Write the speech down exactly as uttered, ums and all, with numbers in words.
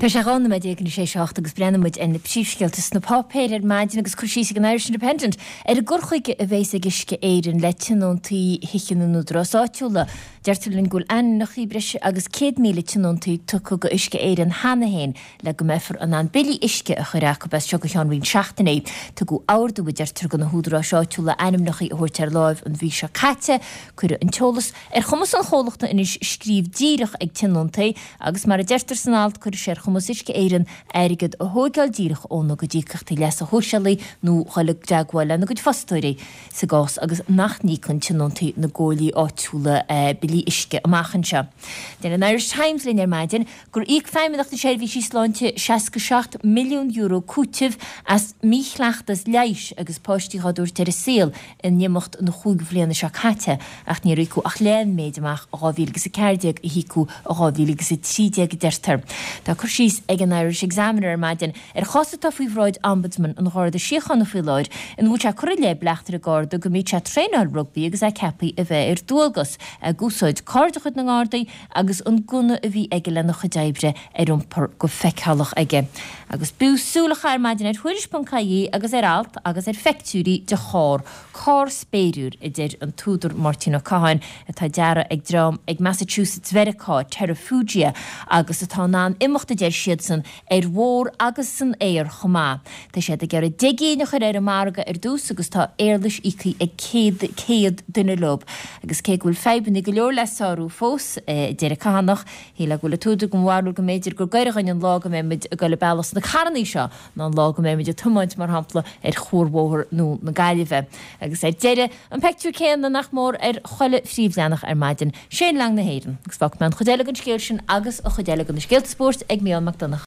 Tá sé dhá nóiméad déag i ndiaidh a seacht agus breathnaíonn muid ar na príomhscéalta sna páipéir ar maidin agus cur síos ag an Irish Independent ar an gcur chuige a bheas ag Uisce Éireann le tionóntaí thithe na n-údarás áitiúla. Deirtear linn go bhfuil ainmneacha breis agus céad míle tionóntaí tugtha go Uisce Éireann cheana féin le go mbeifear in ann billí uisce a chur acu as seo go ceann roinnt seachtainí. Tugadh ordú, a deirtear, do na húdaráis áitiúla ainmneacha a thabhairt ar láimh an mhí seo caite. Cuireadh an t-eolas ar chumas an chomhlachta anois scríobh díreach ag tionóntaí agus mar a deirtear san alt cuirfidh sé ar chumas Uisce Éireann airgead a thógáil díreach óna gcuid íocaíochtaí leasa shóisialaigh nó dhul i dteagmháil lena gcuid fostóirí sa gcás agus nach n-íocann tionóntaí na gcomhairlí áitiúla billí uisce amach anseo. Deir an Irish Times linn ar maidin gur íoc Feidhmeannacht na Seirbhísí Sláinte seasca seacht milliún euro cúitimh as míchleachtas leighis agus páistí dhá dtabhairt ar an saol in imeacht na chúig bhliana seo caite ach níor íocadh ach leath an méid amach i dhá mhíle agus a ceathair déag a híocadh i dhá mhíle agus a trí déag a deirtear. Tá cur síos ag an Irish Examiner ar maidin ar chás atá faoi bhráid Ombudsman an Gharda Síochána faoi láthair ina bhfuil sé ag cur i leith bleachtaire Garda go mbíodh sé ag traenáil rugbaí agus é ceaptha a bheith ar dualgas, ag úsáid carr de chuid na nGardaí agus an gunna a bhí aige lena chuid oibre ar iompar go feiceálach aige. Agus b'fhiú súil a chaitheamh ar maidin ar Thuairisc.ie agus ar alt agus ar phictiúirí de charr, carr spéiriúil, a deir an t-údar Máirtín Ó Catháin, atá deartha ag dream ag Massachusetts Mheiriceá, Terrafugia, agus atá in ann imeacht, a deir siadsan, ar bhóthar agus san aer chomh maith. Tá siad ag iarraidh deich gcinn a chur ar an margadh ar dtús agus tá éarlais íoctha ag céad céad duine leo. Agus cé go bhfuil fadhbanna go leor le sárú fós, a deir an Cathánach, shílfeá go bhfuil an t-údar den bharúil go mb'fhéidir gur gaire dhuinn an lá go mbeidh muid ag dul an bealach sna carrannaí seo ná an lá go mbeidh muid ag tiomáint, mar shampla, ar chuarbhóthar nua na Gaillimhe. Agus ar deireadh, an peictiúr céanna nach mór ar chuile phríomhleathanach ar maidin, Shane Long na hÉireann. Agus fágfaidh mé an chuid eile den scéal sin agus an chuid eile de na scéalta spóirt ag Mícheál Mac Donncha.